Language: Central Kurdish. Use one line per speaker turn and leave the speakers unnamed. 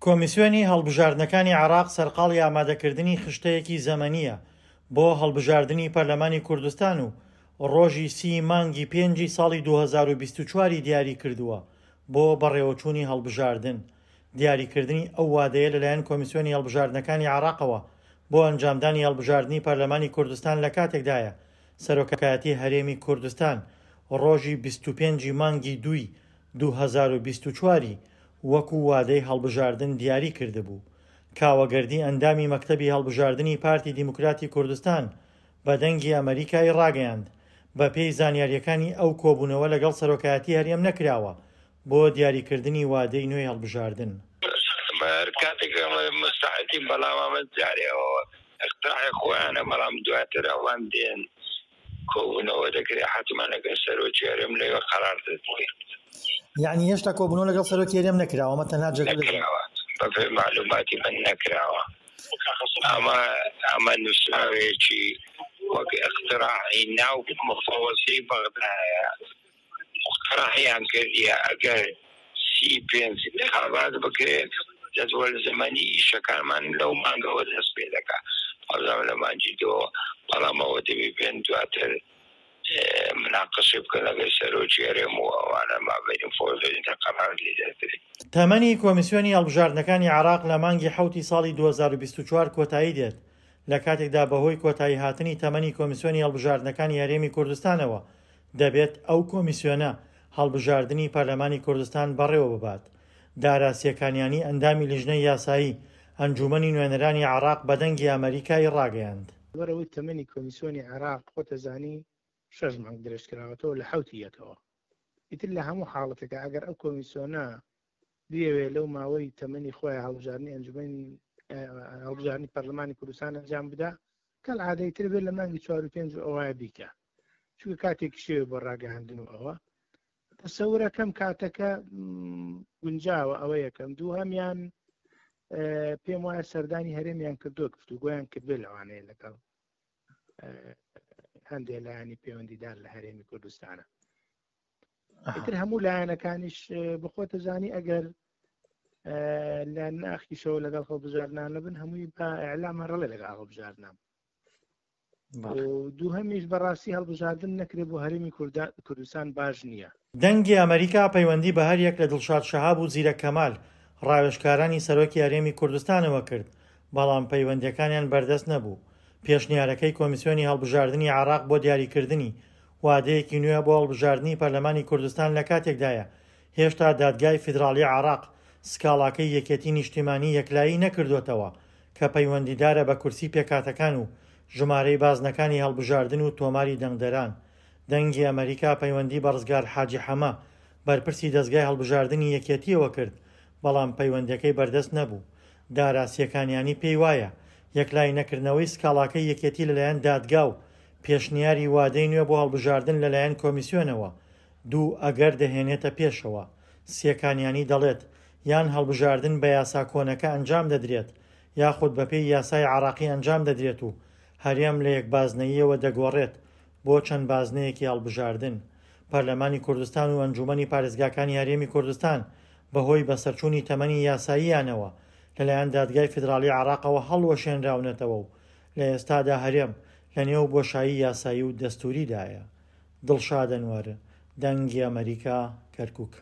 کۆمیسیۆنی هەڵبژاردنەکانی عێراق سەرقاڵی ئامادەکردنی خشتەیەکی زەمەنییە بۆ هەڵبژاردنی پەرلەمانی کوردستان و ڕۆژی سی مانگی پێنجی ساڵی 2024 ی دیاریکردووە بۆ بەڕێوەچوونی هەڵبژاردن. دیاریکردنی ئەو وادەیە لەلایەن کۆمیسیۆنی هەڵبژاردنەکانی عێراقەوە بۆ ئەنجامدانی هەڵبژاردنی پەرلەمانی کوردستان لەکاتێکدایە سەرۆکایەتی هەرێمی کوردستان ڕۆژی 25 ی مانگی دووی 2024 ی وەکو وادەی هەڵبژاردن دیاری کردبوو. کاوە گەردی ئەندامی مەکتەبی هەڵبژاردنی پارتی دیموکراتی کوردستان بە دەنگی ئەمەریکای ڕاگەیاند، بەپێی زانیارییەکانی ئەو کۆبوونەوە لەگەڵ سەرۆکایەتی هەرێم نەکراوە بۆ دیاریکردنی وادەی نوێی هەڵبژاردن.
هەر کاتێک ئەمە مستعدین بەڵام ئەمە جارێ ئەوە اقتراحی خۆیانە بەڵام دواتر ئەوان دێن کۆبوونەوە دەکرێت حتمما لەگەڵ سەرۆکی هەرێم لەوێ قەرار دەدرێت.
یعنی هێشتا کۆبوونەوە لەگەڵ سەرۆکی هەرێم نەکراوە ئەمە تەنها جەدوەلە
نەکراوە بەپێی مەعلوماتی من نەکراوە ئەمە ئەمە نووسراوێکی وەک اقتراحی ناو مفەوەزیی بەغدایە مقتەرحیان کردیە ئەگەر 35 انتخابات بکرێت جەدوەل زەمەنی ئیشەکانمان لەو مانگەوە دەست پێ دەکا وابزانم لە مانگی دووەوە بەڵام ئەوە دەبی بێن دواتر مناقەشەی بکەن لەگەل سەرۆکی هەرێم و ئەوانە مابەینی فۆزەری تا قەرار لێ دەردرێ.
تەمەنی کۆمیسیۆنی هەڵبژاردنەکانی عێراق لە مانگی حەوتی ساڵی 2024 کۆتایی دێت، لە کاتێکدا بەهۆی کۆتاییهاتنی تەمەنی کۆمیسیۆنی هەڵبژاردنەکانی هەرێمی کوردستانەوە دەبێت ئەو کۆمیسیۆنە هەڵبژاردنی پەرلەمانی کوردستان بەڕێوەببات. دارا سێکانیانی ئەندامی لیژنەی یاسایی ئەنجوومەنی نوێنەرانی عێراق بە دەنگی ئەمەریکای ڕاگەیاند.
لەبەرئەوەی تەمەنی کۆمیسیۆنی عێراق خۆتەزانی شەش مانگ درێژکراوەتەوە لە حەوتی یەکەوە ئیتر لە هەموو حاڵەتێکا ئەگەر ئەو کۆمیسیۆنە بیەوێ لەو ماوەی تەمەنی خۆی هەڵبژاردنی ئەنجومەنی هەڵبژاردنی پەرلەمانی کوردستان ئەنجام بدا کەل عادەی تر بێت لە مانگی چوار و پێنج و ئەوە بیکە چونکە کاتێکی شێوە بۆ ڕاگەهاندن و ئەوە تەسەورەکەم کاتەکە گونجاوە ئەوە یەکەم دووهەمیان پێم وایە سەردانی هەرێمیان کردووە گفتوگۆیان کردوێ لەوانەیە لەگەڵ هەندێک لایەنی پەیوەندیدار لە هەرێمی کوردستانە ئیتر هەموو لایەنەکانیش بخۆتە زانی ئەگەر لە ناخیشەوە لەگەڵ هەڵبژاردنان نەبن هەمووی بە ئەلام هەڕڵێ لەگەڵ هەڵبژاردنام دووهەمیش بەڕاستی هەڵبژاردن نەکرێت بۆ هەرێمی کوردستان باش نییە.
دەنگی ئەمەریکا پەیوەندی بە هەریەک لە دڵشاد شەهاب و زیرەک کەمال، ڕاوێژکارانی سەرۆکی هەرێمی کوردستانەوە کرد، بەڵام پەیوەندییەکانیان بەردەست نەبوو. پێشنیارەکەی کۆمیسیۆنی هەڵبژاردنی عێراق بۆ دیاریکردنی وادەیەکی نوێ بۆ هەڵبژاردنی پەرلەمانی کوردستان لەکاتێکدایە هێشتا دادگای فیدراڵی عێراق سکاڵاکەی یەکێتی نیشتیمانی یەکلایی نەکردۆتەوە کە پەیوەندیدارە بە کورسی پێکهاتەکان و ژمارەی بازنەکانی هەڵبژاردن و تۆماری دەنگدەران. دەنگی ئەمەریکا پەیوەندی بە ڕزگار حاجی حەمە، بەرپرسی دەزگای هەڵبژاردنی یەکێتییەوە کرد، بەڵام پەیوەندیەکەی بەردەست نەبوو. دارا سێکانیانی پێی وایە، یەکلایی نەکردنەوەی سکاڵاکەی یەکێتی لەلایەن دادگا و پێشنیاری وادەی نوێ بۆ هەڵبژاردن لەلایەن کۆمیسیۆنەوە دوو ئەگەر دەهێنێتە پێشەوە. سێکانیانی دەڵێت، یان هەڵبژاردن بە یاسا کۆنەکە ئەنجام دەدرێت، یاخود بەپێی یاسای عێراقی ئەنجام دەدرێت و هەرێم لە یەک بازنەییەوە دەگۆڕێت بۆ چەند بازنەیەکی هەڵبژاردن. پەرلەمانی کوردستان و ئەنجوومەنی پارێزگاکانی هەرێمی کوردستان بەهۆی بەسەرچوونی تەمەنی یاساییانەوە لەلایەن دادگای فیدراڵی عێراقەوە هەڵوەشێنراونەتەوە و لە ئێستادا هەرێم لەنێو بۆشایی یاسایی و دەستووریدایە. دڵشاد ئەنوەر، دەنگی ئەمەریکا، کەرکوک.